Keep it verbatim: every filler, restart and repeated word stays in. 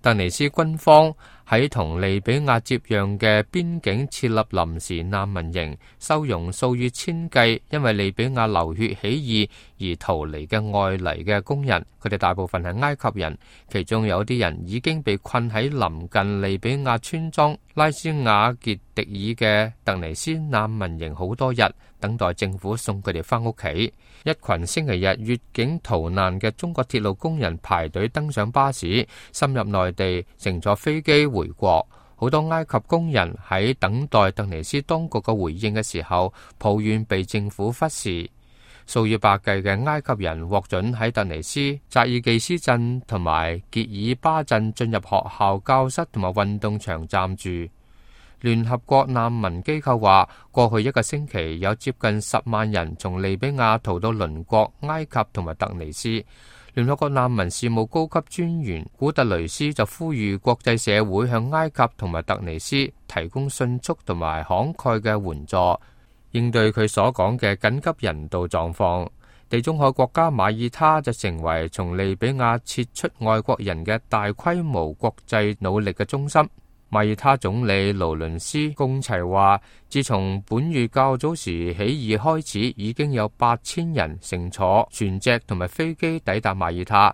突尼斯軍方喺同利比亞接壤嘅邊境設立臨時難民營，收容數以千計因為利比亞流血起義而逃離嘅外嚟嘅工人。佢哋大部分係埃及人，其中有啲人已經被困喺臨近利比亞村莊拉斯瓦傑迪爾嘅突尼斯難民營好多日，等待政府送佢哋返屋企。一群星期日越境逃難嘅中國鐵路工人排隊登上巴士，深入內地，乘坐飛機回國。好多埃及工人喺等待突尼斯當局嘅回應嘅時候，抱怨被政府忽視。數以百計嘅埃及人獲准喺突尼斯扎爾基斯鎮同埋傑爾巴鎮進入學校、教室同埋運動場暫住。聯合國難民機構話，過去一個星期有接近十萬人從利比亞逃到鄰國埃及同埋突尼斯。聯合國難民事務高級專員古特雷斯就呼籲國際社會向埃及同埋突尼斯提供迅速同埋慷慨嘅援助，應對佢所講嘅緊急人道狀況。地中海國家馬耳他就成為從利比亞撤出外國人嘅大規模國際努力嘅中心。馬耳他總理勞倫斯貢齊話，自從本月較早時起義開始，已經有八千人乘坐船隻同埋飛機抵達馬耳他，